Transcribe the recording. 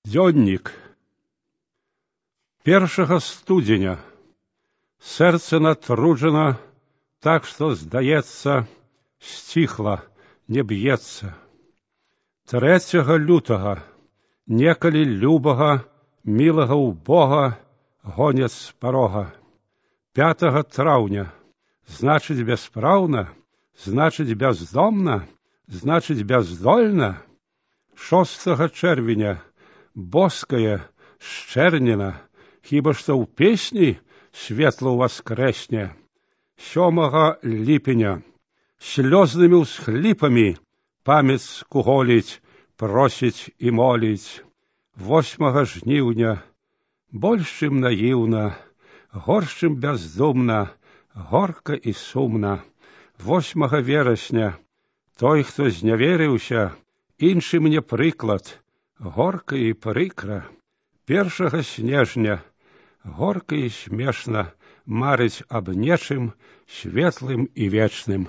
Дзённік. 1 студзеня. Сэрца натруджана, так што, здаецца, сціхла, не б'ецца. 3 лютага. Некалі любага, мілага ў Бога, гоняць з парога. 5 траўня. Значыць, бяспраўна, значыць, бяздомна, значыць, бяздольна. 6 чэрвеня. Боская, шчэрнена, хіба што ў песні светла ўваскрэсне. 7 ліпеня. Слёзнымі ўсхліпамі памяць скуголіць, просіць і моліць. 8 жніўня. Больш чым наіўна, горш чым бяздумна, горка і сумна. 8 верасня. Той, хто зняверыўся, іншы мне прыклад, горка і прыкра. 1 снежня. Горка і смешна марыць аб нечым светлым і вечным.